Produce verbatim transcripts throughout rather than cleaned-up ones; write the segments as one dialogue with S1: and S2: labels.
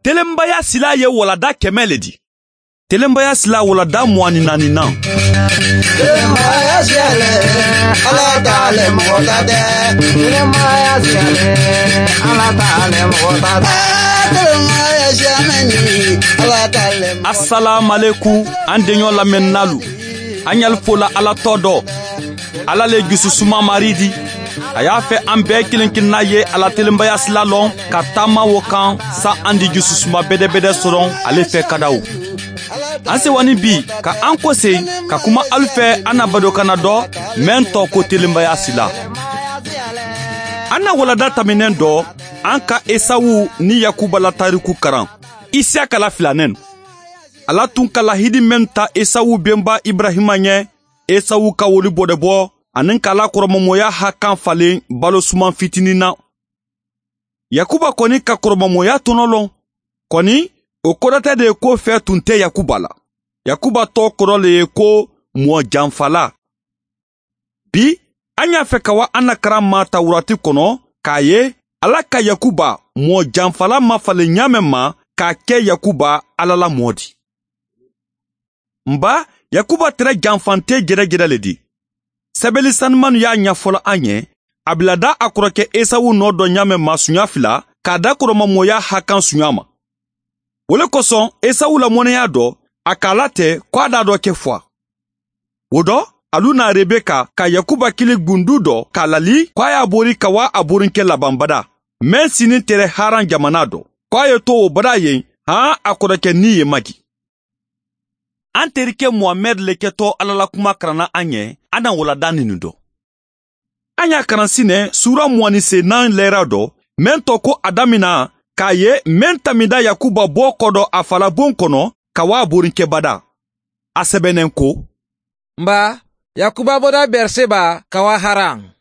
S1: Telenbaya sila ye walada kɛmɛ le di. Telenbaya sila walada mugan ni naani na.
S2: Telenbaya siyale, Ala t'ale mɔgɔ ta tɛ. Telenbaya siyale, Ala t'ale mɔgɔ ta tɛ. Telenbaya siyamɛni, Ala t'ale mɔgɔ ta tɛ.
S1: Assalamu alaikum, an deɲɔ lamɛnnalu. An y'al fola Ala tɔ dɔ. Ala le jususuma mari di. A y'a fɛ an bɛɛ kelen kelenna ye Ala telenbaya sila lɔn ka taama wo kan sa an di jususuma bɛdɛbɛdɛ sɔrɔ ale fɛ kadaw. An sewani bi ka an kɔse ka kuma alu fɛ an na badokana dɔ mɛn tɔ ko telenbaya sila. An na walada taminɛn dɔ an ka Esawu ni Yakuba la tariku karan. Isiyaka la filanen. Ala tun ka lahidi mɛn ta Esawu benba Ibrahima ɲɛ, Esawu ka woli bɔdɛbɔ ani k'a la kɔrɔmɔmɔya hakan falen balo suman fitinin na. Yakuba kɔni ka kɔrɔmɔmɔya tɔnɔ lɔn. Kɔni o kɔrɔ tɛ de ko fɛ tun tɛ Yakuba la. Yakuba tɔ kɔrɔ le ye ko mɔ janfala. Bi an y'a fɛ ka wa an na karan ma Tawurati kɔnɔ k'a ye Ala ka Yakuba mɔ janfala ma falen ɲa mɛn ma k'a kɛ Yakuba Ala la mɔ di. Nba Yakuba tɛrɛ janfante jɛrɛjɛrɛ le di. Sɛbɛli sanumanu y'a ɲɛfɔla an ye, a bila da a kɔrɔkɛ Esawu nɔ dɔ ɲa mɛn ma sunya fila k'a da kɔrɔmamɔya hakan sunya ma. O le kosɔn Esawu la mɔnɛya dɔ, a k'a la tɛ ko a d'a dɔ kɛ fɔ. O dɔ, alu na Rebeka ka Yakuba kili gundu dɔ k'a lali ko a y'a bori ka wa a borinkɛ labanbada. Mɛn sini tɛrɛ Haran jamana dɔ. Ko a ye to o bada yen, han a kɔrɔkɛ ni ye magi. An terikɛ Muhamɛd le kɛtɔ Ala la kuma karanna an ɲɛ, an na walada ninu dɔ. An y'a karan sinɛ sura mugan ni senan lɛra dɔ, mɛn tɔ ko a damina k'a ye mɛn tamida Yakuba bɔ kɔ dɔ a falabon kɔnɔ ka wa borinkɛ bada. A sɛbɛnnen ko.
S3: Nba, Yakuba bɔra Berseba ka wa Haran.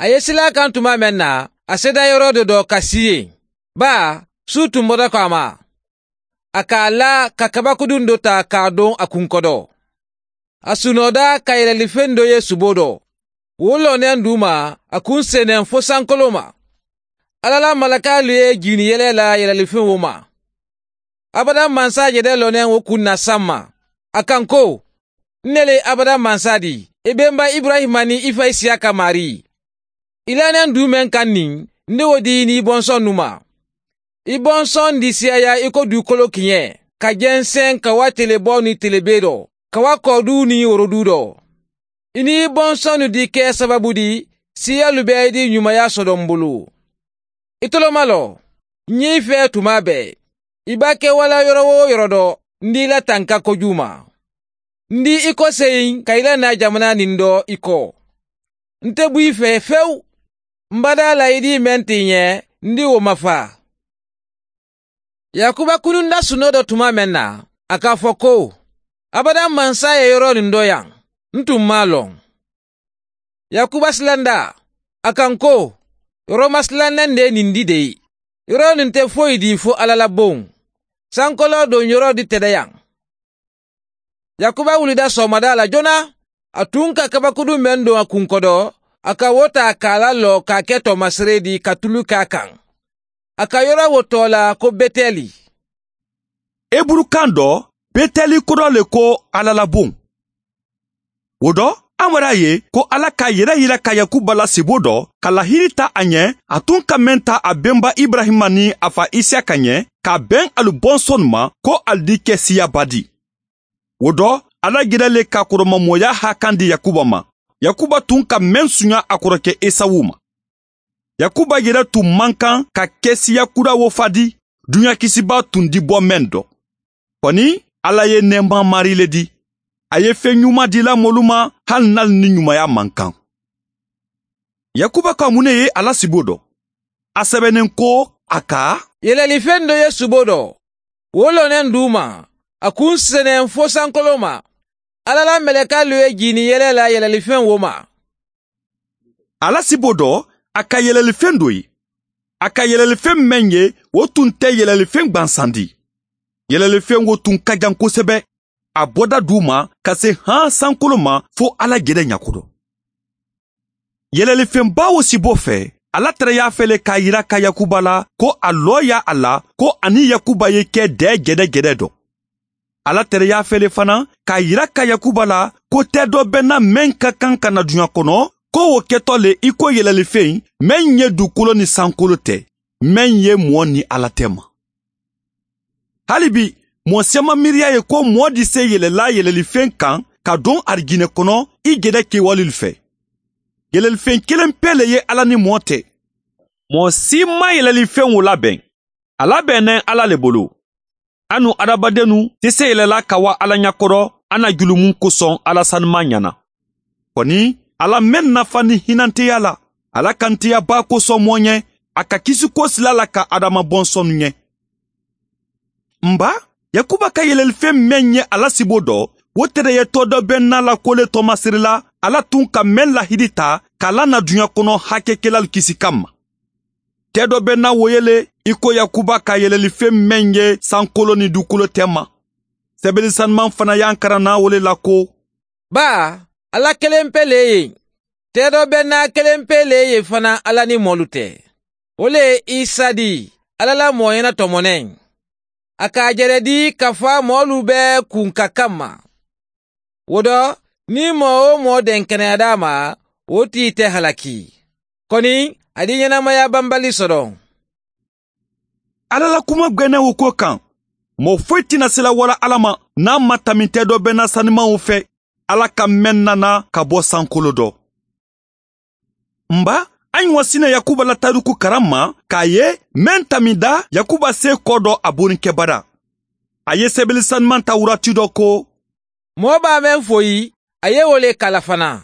S3: A ye sila kan tuma mɛn na, a seda yɔrɔ dɔ dɔ ka si yen. Ba, su tun bɔra ko a ma. A k'a la ka kabakudun dɔ ta k'a don a kunkɔdɔ. A sunɔda ka yɛlɛlifɛn dɔ ye subo dɔ. Wo lɔnnen d'u ma, a kun sennen fo sankolo ma. Ala la malakalu ye jini yɛlɛ la yɛlɛlifɛn wo ma. Abada mansa yɛrɛ lɔnnen wo kun na san ma. A kan ko, ne le abada mansa di, i benba Ibrahima ni i fa Isiyaka mari. I lanen du mɛn kan nin, ne wo di n'i bɔnsɔn nu ma. I bɔnsɔn di siyaya i ko dugukolo kiɲɛ, ka jɛnsɛn ka wa telebɔ ni telebe dɔ, ka wa kɔdu ni worodu dɔ. I ni bɔnsɔn nu di kɛ sababu di, siyalu bɛɛ di ɲumanya sɔrɔ n bolo. I toloma lɔ, n y'i fɛ tuma bɛɛ. I b'a kɛ wala yɔrɔ o yɔrɔ dɔ, n d'i la tanka kojugu ma. N di i kɔseyin ka i la na jamana nin dɔ i kɔ. N tɛ bɔ i fɛ fewu. N bada la i di mɛn t'i ɲɛ, n di o ma fa. Yakuba kununda sunɔ dɔ tuma mɛn na, a k'a fɔ ko, abada mansa ye yɔrɔ nin dɔ yan, n tun m'a lɔn. Yakuba silanda, a kan ko, yɔrɔ masilannen de ye nin di de ye. Yɔrɔ nin tɛ foyi di fo Ala la bon. Sankolo don yɔrɔ di tɛ dɛ yan. Yakuba wulida sɔgɔmada la joona, a tun ka kabakurun mɛn don a kunkɔdɔ, a ka wo ta k'a lalɔ k'a kɛ tɔmasere di ka tulu k'a kan. A ka yɔrɔ wo tɔ la ko Betɛli.
S1: Eburukan dɔ, Betɛli kɔrɔ le ko Ala la bon. O dɔ, an wɛrɛ ye ko Ala k'a yɛrɛ yira ka Yakuba la sebo dɔ, ka lahiri ta a ɲɛ, a tun ka mɛn ta a benba Ibrahima ni a fa Isiyaka ɲɛ, k'a bɛn alu bɔnsɔn ma ko ali di kɛ siyaba di. O dɔ, Ala yɛrɛ le ka kɔrɔmamɔya hakan di Yakuba ma. Yakuba tun ka mɛn sunya a kɔrɔkɛ Esawu ma. Yakuba yɛrɛ tun man kan ka kɛ siya kura wo fa di, dunuya kisiba tun di bɔ mɛn dɔ. Kɔni, Ala ye nɛɛma mari le di. A ye fɛn ɲuman dila mɔlu ma hali n'ale ni ɲumanya man kan. Yakuba ka mun ne ye Ala sibo dɔ? A sɛbɛnnen ko a ka
S3: Yɛlɛlifɛn dɔ ye subo dɔ. Wo lɔnnen d'u ma, a kun sennen fo sankolo ma. Ala la mɛlɛkalu ye jini yɛlɛ la yɛlɛlifɛn wo ma.
S1: Ala sibo dɔ, a ka yɛlɛlifɛn dɔ ye. A ka yɛlɛlifɛn mɛn ye, o tun tɛ yɛlɛlifɛn gwansan di. Yɛlɛlifɛn wo tun ka jan kosɛbɛ. A bɔda d'u ma ka se han sankolo ma fo Ala yɛrɛ ɲakɔrɔ. Yɛlɛlifɛnba wo sibo fɛ, Ala tɛrɛ y'a fɛle k'a yira ka Yakuba la ko a lɔ ya a la ko ani Yakuba ye kɛ dɛ jɛdɛ-jɛdɛ dɔ. Ala tɛrɛ y'a fɛle fana k'a yira ka Yakuba la ko tɛ dɔ bɛ na mɛn ka kan ka na duɲa kɔnɔ, ko o kɛtɔ le i ko yɛlɛlifɛn mɛn ye dugukolo ni sankolo tɛ, mɛn ye mɔɔ ni Ala tɛ ma. Hali bi mɔɔ siyaman miiriya ye ko mɔɔ di se yɛlɛla yɛlɛlifɛn kan ka don arijinɛ kɔnɔ i jɛdɛ kɛwalew fɛ. Yɛlɛlifɛn kelen pe le ye Ala ni mɔɔ tɛ. Mɔɔ si ma yɛlɛlifɛn o labɛn. A labɛnnen Ala le bolo. Anu adamadennu tɛ se yɛlɛla ka wa Ala ɲakɔrɔ an na julumun kosɔn Ala sanuman ɲana. Kɔni Ala mɛn nafa ni hinanteya la, Ala kanteya ba kosɔn mɔɔ ɲɛ, a ka kisi ko sila la ka adama bɔnsɔnnu ɲɛ. Nba, Yakuba ka yɛlɛlifɛn mɛn ye Ala sibo dɔ, o tɛrɛ ye tɔ dɔ bɛ n'a la ko le tɔmasiri la, Ala tun ka mɛn lahidi ta k'a lana duɲa kɔnɔ hakɛkɛlalu kisi kama. Tɛ dɔ bɛ na wo yele i ko Yakuba ka yɛlɛlifɛn mɛn ye sankolo ni dugukolo tɛ ma. Sɛbɛnni sanuman fana y'an karanna o le la ko
S3: ba Ala kelen pe le ye. Tɛ dɔ bɛ na kelen pe le ye fana Ala ni mɔlu tɛ. O le ye Isa di, Ala la mɔɔ ɲɛna tɔmɔnɛ. A k'a jɛrɛ di ka fɔ mɔɔlu bɛɛ kun ka kan ma. O dɔ, ni mɔɔ o mɔɔ den kɛnɛya ma, o t'i tɛ halaki. Kɔni, a di ɲɛnamaya banbali sɔrɔ.
S1: Ala la kuma gwɛnɛ o ko kan. Mɔɔ foyi tɛna se la wala Ala ma n'a ma tami tɛ dɔ bɛ na sanumanw fɛ. Ala ka mɛn nana ka bɔ sankolo dɔ. Nba, an wa sina Yakuba la tariku karan ma k'a ye mɛn tamida Yakuba se kɔ dɔ a borinkɛbara. A ye sɛbɛnni sanuman ta wurati dɔ ko
S3: mɔɔ b'a mɛn foyi, a ye o le kala fana.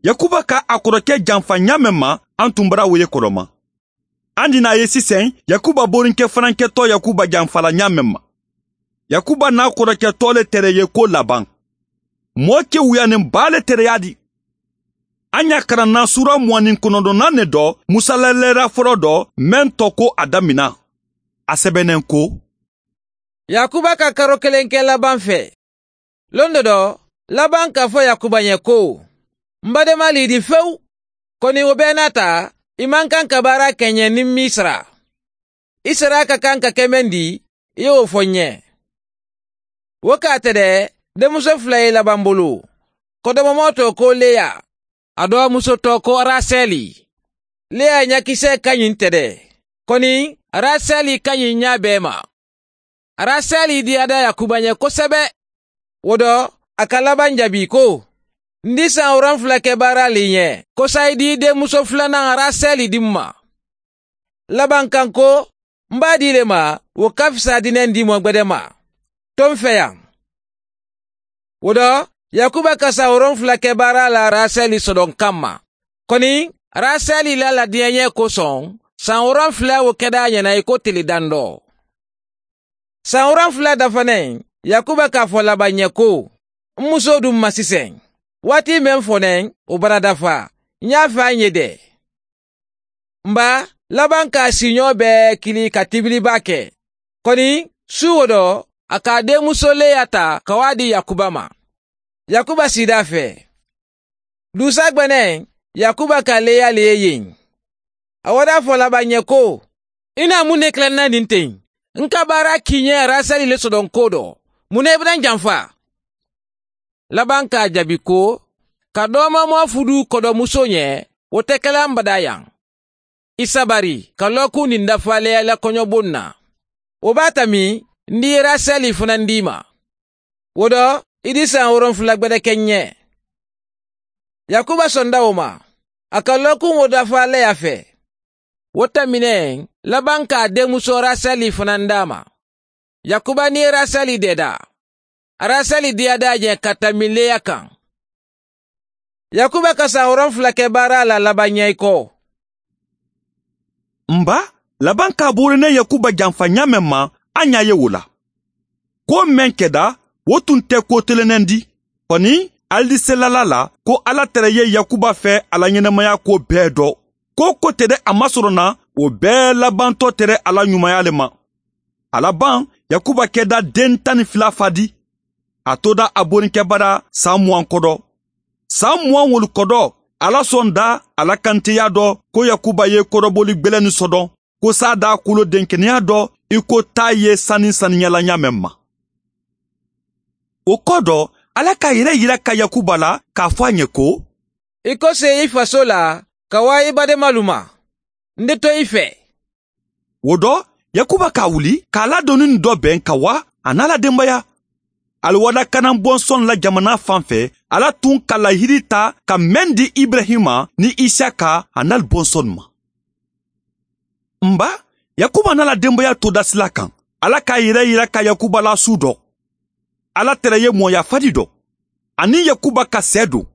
S1: Yakuba ka a kɔrɔkɛ janfa ɲa mɛn ma, an tun bara o ye kɔrɔma. An dina ye sisan Yakuba borinkɛ fana kɛtɔ Yakuba janfala ɲa mɛn ma. Yakuba n'a kɔrɔkɛ tɔ le tɛrɛ ye ko laban. Mɔɔ kewuyanin ba le tɛrɛya di. An y'a karanna sura mugan ni kɔnɔntɔnnan ne dɔ musalalɛra fɔlɔ dɔ mɛn tɔ ko a damina. A sɛbɛnnen ko
S3: Yakuba ka karo kelen kɛ Laban fɛ. Lon dɔ dɔ, Laban k'a fɔ Yakuba ɲɛ ko n badenma lidi fewu, kɔni o bɛɛ n'a ta, i man kan ka baara kɛ ɲɛ ni m'i sara. I sara ka kan ka kɛ mɛn di, i y'o fɔ n ɲɛ. O k'a tɛ dɛ, denmuso fila ye Laban bolo. Kɔdɔmɔmɔ tɔ ko Leya, a dɔgɔmuso tɔ ko Rasɛli. Leya ɲakisɛ ka ɲi tɛ dɛ, kɔni Rasɛli ka ɲi ɲa bɛɛ ma. Rasɛli diyada Yakuba ɲɛ kosɛbɛ. O dɔ, a ka Laban jaabi ko n di san wolonfila kɛ baara le ɲɛ, ko sa i di denmuso filanan Rasɛli di n ma. Laban kan ko n b'a di le ma, o ka fisa dinɛ di mɔ gbɛdɛ ma. To n fɛ yan. O dɔ, Yakuba ka san wolonfila kɛ baara la Rasɛli sɔdɔn kama. Kɔni, Rasɛli la ladiɲɛ kosɔn, san wolonfila o kɛda ɲɛna i ko tele dandɔ. San wolonfila dafanen, Yakuba k'a fɔ Laban ɲɛ ko n muso dun ma sisan. Waati mɛn fɔnɛ, o bara dafa. N y'a fɛ an ye dɛ. Nba, Laban k'a siɲɔ bɛɛ kili ka tibiliba kɛ. Kɔni, su o dɔ, a k'a denmuso Leya ta ka waa di Yakuba ma. Yakuba sida fɛ. Dusa gbɛnɛ, Yakuba ka Leya le ye yen. A wada fɔ Laban ɲɛ ko i na mun ne tilanna nin ten? N ka baara k'i ɲɛ Rasɛli le sɔdɔn ko dɔ. Mun ne bɛna n janfa? Laban k'a jaabi ko ka dɔɔmamɔ fudu kɔdɔmuso ɲɛ, o tɛ kɛla n bada yan. I sabari ka lɔkun nin dafa Leya la kɔɲɔbon na. O b'a ta min, n di Rasɛli fana d'i ma. O dɔ, i di san wolonfila gbɛdɛ kɛ ɲɛ. Yakuba sɔnda o ma. A ka lɔkun o dafa Leya fɛ. O tɛmɛnen, Laban k'a denmuso Rasɛli fana d'a ma. Yakuba ni Rasɛli dɛda. Rasɛli diyada ɲɛ ka tɛmɛ Leya kan. Yakuba ka san wolonfila kɛ baara la Laban ɲɛ i kɔ.
S1: Nba, Laban k'a borinɛ Yakuba janfa ɲa mɛn ma, an y'a ye o la. Ko mɛn kɛda, o tun tɛ ko telenen di. Kɔni, aliselala la ko Ala tɛrɛ ye Yakuba fɛ ala ɲɛnamaya ko bɛɛ dɔ. Ko ko tɛ dɛ a masɔrɔ na, o bɛɛ labantɔ tɛrɛ Ala ɲumanya le ma. A laban, Yakuba kɛda den tan ni fila fa di. A toda a borinkɛbara san mugan kɔdɔ. San mugan wolu kɔdɔ, Ala sɔn da ala kantiya dɔ ko Yakuba ye kɔrɔbɔli gbɛlɛni sɔdɔn ko sa da kulo denkɛnɛya dɔ i ko ta ye sani saniyala ɲa mɛn ma. O kɔ dɔ Ala k'a yɛrɛ yira ka Yakuba la k'a fɔ a ɲɛ ko
S3: i ko se i faso la ka wa i badenmalu ma n tɛ to i fɛ.
S1: O dɔ Yakuba k'a wuli k'a ladonni nin dɔ bɛn ka wa a n'a la denbaya. Aliwada kanan bɔnsɔn la jamana fan fɛ Ala tun ka lahiri ta ka mɛn di Ibrahima ni Isaka a n'al bɔnsɔn ma. Nba Yakuba n'a la denbaya to dasila kan. Ala k'a yɛrɛ yira ka Yakuba la su dɔ. Ala tɛrɛ ye mɔya fadi dɔ. Ani Yakuba ka sɛ don.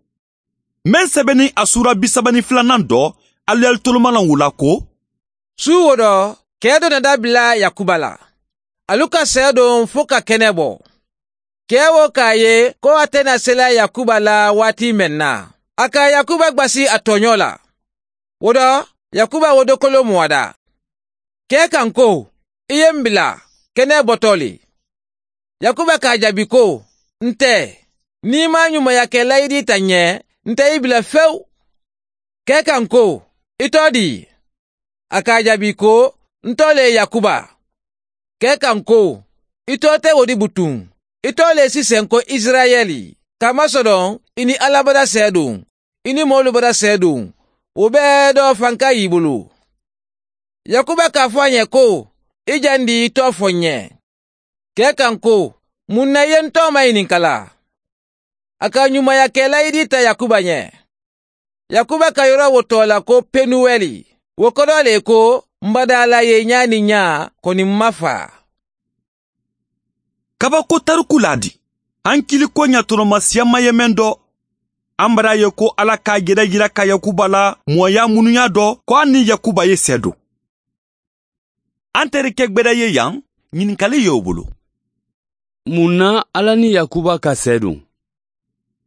S1: Mɛn sɛbɛnni a sura bi saba ni filanan dɔ aliyali tolomalan wula ko.
S3: Su wo dɔ kɛ dɔ nana bila Yakuba la. Alu ka sɛ don fo ka kɛnɛ bɔ. Kɛ wo k'a ye ko a tɛna sela Yakuba la waati mɛn na. A ka Yakuba gbasi a tɔɲɔ la. O dɔ Yakuba wodokolo muwada. Kɛ kan ko i ye n bila kɛnɛ bɔtɔ le. Yakuba k'a jaabi ko n tɛ n'i ma ɲumanya kɛ layidi ta ɲɛ n tɛ i bila fewu. Kɛ kan ko i tɔ di. A k'a jaabi ko n tɔ le Yakuba. Kɛ kan ko i tɔ tɛ o di butun. I tɔ le sisan ko Israɛli. Kamasɔrɔ i ni Ala bada sɛ don i ni mɔlu bada sɛ don o bɛɛ dɔ fanka y'i bolo. Yakuba k'a fɔ a ɲɛ ko i jan di i tɔ fɔ n ɲɛ. Kɛ kan ko mun na i ye n tɔ ma ɲininka la. A ka ɲumanya kɛ layidi ta Yakuba ɲɛ. Yakuba ka yɔrɔ wo tɔ la ko Penuwɛli. O kɔrɔ le ko n bada Ala ye ɲa ni ɲa kɔni n ma fa.
S1: Kabako tariku la di. An kiliko ɲatɔnɔma siyama ye mɛn dɔ. An bara ye ko Ala k'a yɛrɛ yira ka Yakuba la mɔya munuya dɔ ko an ni Yakuba ye sɛ don. An terikɛ gbɛdɛ ye yan ɲininkali y'o bolo.
S4: Mun na Ala ni Yakuba ka sɛ don?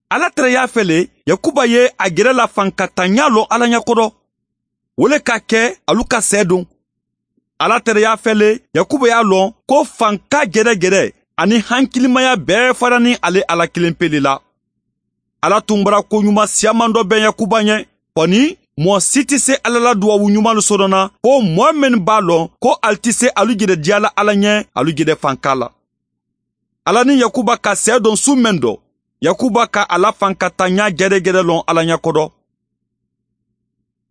S1: Ala tɛrɛ y'a fɛ le Yakuba ye a gɛrɛ la fankatanya lɔ Ala ɲɛkɔrɔ. O le ka kɛ alu ka sɛ don. Ala tɛrɛ y'a fɛ le Yakuba y'a lɔn ko fanka gɛrɛgɛrɛ ani hankilimaya bɛɛ fara ni ale Ala kelen pele la. Ala tun bara ko ɲuman siyaman dɔ bɛn Yakuba ɲɛ. Kɔni mɔɔ si tɛ se Ala la duwawu ɲuman sɔrɔ na ko mɔɔ min b'a lɔn ko ali tɛ se alu jɛrɛ diya la Ala ɲɛ alu jɛrɛ fanka la. Ala ni Yakuba ka sɛ don su mɛn dɔ. Yakuba ka ala fankatanya gɛrɛgɛrɛ lɔn Ala ɲɛkɔrɔ.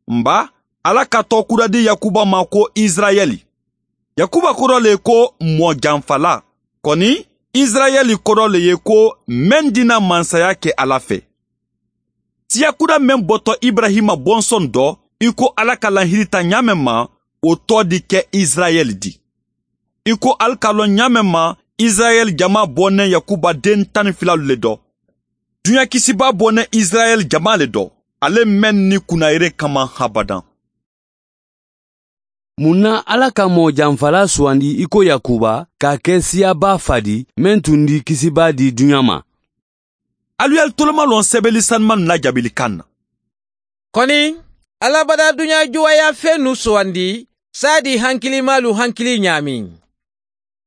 S1: Nba Ala ka tɔ kura di Yakuba ma ko Israɛli. Yakuba kɔrɔ le ko mɔ janfala. Kɔni Israɛli kɔrɔ le ye ko mɛn dina mansaya kɛ Ala fɛ. Siya kura mɛn bɔtɔ Ibrahima bɔnsɔn dɔ i ko Ala ka lahiri ta ɲa mɛn ma o tɔ di kɛ Israɛli di. I ko ali ka lɔn ɲa mɛn ma Israɛl jama bɔnɛ Yakuba den tan ni fila le dɔ. Dunya kisiba bɔnɛ Israɛl jama le dɔ. Ale mɛn ni kunnayere kama habadan.
S4: Mun na Ala ka mɔ janfala suwandi i ko Yakuba k'a kɛ siyaba fadi mɛn tun di kisiba di dunya ma?
S1: Alu y'al toloma lɔn sɛbɛli sanuman la jabili kan na.
S3: Kɔni Ala bada dunya juwaya fɛn nu suwandi saa di hankilimalu hankili ɲaami.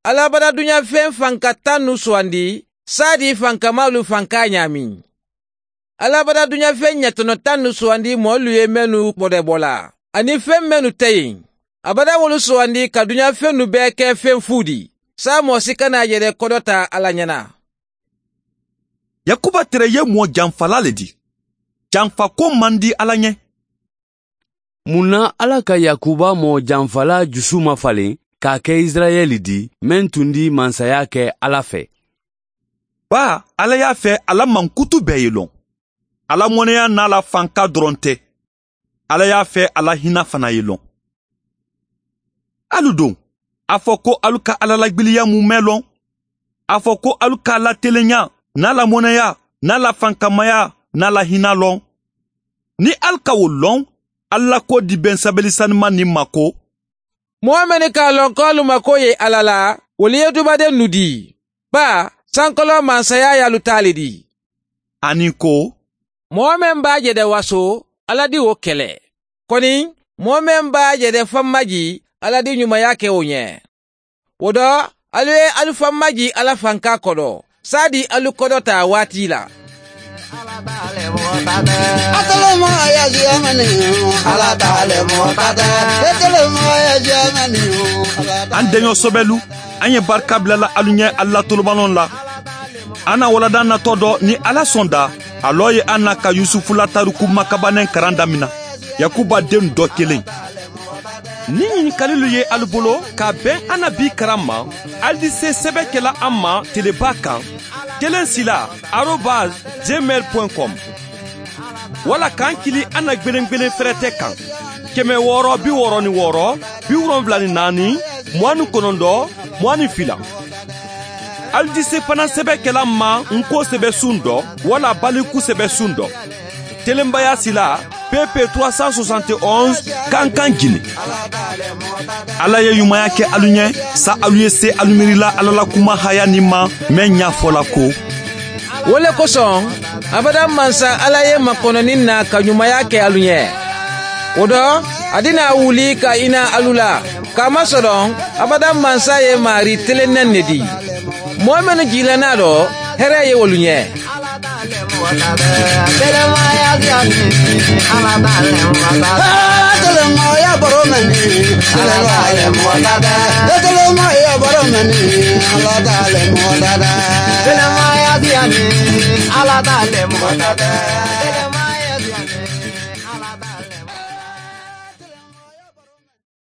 S3: Ala bada dunya fɛn fankatan nu suwandi saa di fankamalu fanka ɲaami. Ala bada dunya fɛn ɲɛtɔnɔtan nu suwandi mɔlu ye mɛnu bɔdɛbɔ ani fɛn mɛnu tɛ yen. A bada wolu suwandi ka dunya fɛn nu bɛɛ kɛ fɛn fu di. Saa mɔɔ si kana yɛrɛ kɔdɔ ta Ala ɲɛna.
S1: Yakuba tɛrɛ ye mɔ janfala le di. Janfa ko man di Ala ɲɛ.
S4: Mun na Ala ka Yakuba mɔ janfala jusu ma falen k'a kɛ Israɛli di mɛn tun di mansaya kɛ Ala fɛ?
S1: Ba Ala y'a fɛ ala mankutu bɛɛ ye lɔn. Ala mɔnɛya n'a la fanka dɔrɔn tɛ. Ala y'a fɛ ala hinɛ fana ye lɔn. Alu don a fɔ ko alu ka Ala lagbiliya mun mɛn lɔn. A fɔ ko alu ka la telenya n'a la mɔnɛya n'a la fankamaya n'a la hinɛ lɔn. Ni alu ka o lɔn Ala ko di bɛn sabali sanuma ni ma ko.
S3: Mɔgɔ mɛn k'a lɔn k'alu mako ye Ala la olu ye dubaden nu di. Ba sankɔlɔ mansaya y'alu ta le di.
S1: Ani ko.
S3: Mɔgɔ mɛn b'a jɛdɛ waso Ala di o kɛlɛ. Kɔni mɔgɔ mɛn b'a jɛdɛ fanmaji Ala di ɲumanya kɛ o ɲɛ. O dɔ alu ye alu fanmaji Ala fanka kɔrɔ. Saa di alu kɔdɔ ta waati la. Ala
S2: mɔgɔ ta tɛ. A telemaya siyamani ala t'ale mɔgɔ ta tɛ. E telemaya siyamani ala t'ale.
S1: An deɲɔ sɔbɛlu, an ye barika bilala alu ɲɛ Ala tolobalon la. An na walada natɔ dɔ ni Ala sɔnda, a lɔ ye an na ka Yusufu la tariku makabannen karan damina. Yakuba den dɔ kelen. Ni ɲininkalilu ye alu bolo ka bɛn an na bi karan ma, alu di se sɛbɛ kɛla an ma teleba kan kelen sila arobase gmail point com wala k'an kili an na gbelengbelen fɛrɛtɛ kan kɛmɛ wɔɔrɔ bi wɔɔrɔ ni wɔɔrɔ bi wolonfila ni naani mugan ni kɔnɔntɔn mugan ni fila. Alu di se fana sɛbɛ kɛla ma nko sɛbɛ sun dɔ wala baliku sɛbɛ sun dɔ. Telenbaya sila P P trois cent soixante et onze Kankan Guinée. Ala ye ɲumanya kɛ alu ɲɛ sa alu ye se alu miirila Ala la kuma haya ni ma mɛn ɲa fɔla ko.
S3: O le kosɔn abada mansa Ala ye makɔnɔni na ka ɲumanya kɛ alu ɲɛ. O dɔ a dina wuli ka ina alu la k'a masɔrɔ abada mansa ye mari telennɛn ne di. Mɔɔ minnu jigilanna dɔ hɛrɛ ye olu ɲɛ.
S2: Ala t'ale mɔgɔ ta tɛ.